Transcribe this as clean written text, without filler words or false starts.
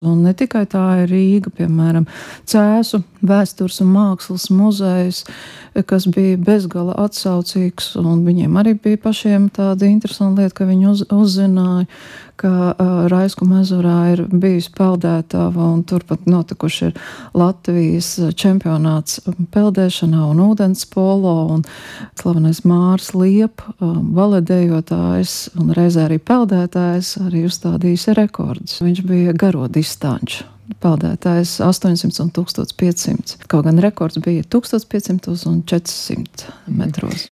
Un ne tikai tā ir Rīga, piemēram, Cēsu vēstures un mākslas muzejs, kas bija bezgala atsaucīgs, un viņiem arī bija pašiem tāda interesanta lieta, ka viņi uzzināja, ka Raisku ezerā ir bijusi peldētava, un turpat notikuši ir Latvijas čempionāts peldēšanā un ūdens polo, un slavenais Māris Liep, valedējotājs un reizē arī peldētājs, arī uzstādījis rekordus. Viņš bija garo distanču peldētājs 800 un 1500. Kaut gan rekords bija 1500 un 400 metros.